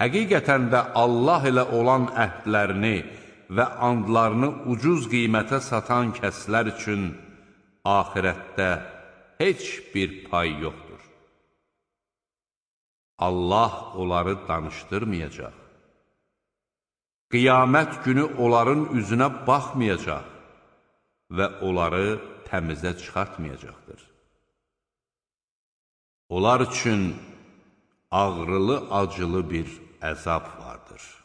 Həqiqətən də Allah ilə olan əhdlərini və andlarını ucuz qiymətə satan kəslər üçün axirətdə heç bir pay yoxdur. Allah onları danışdırmayacaq. Qiyamət günü onların üzünə baxmayacaq və onları təmizə çıxartmayacaqdır. Onlar üçün ağrılı-acılı bir əzab vardır.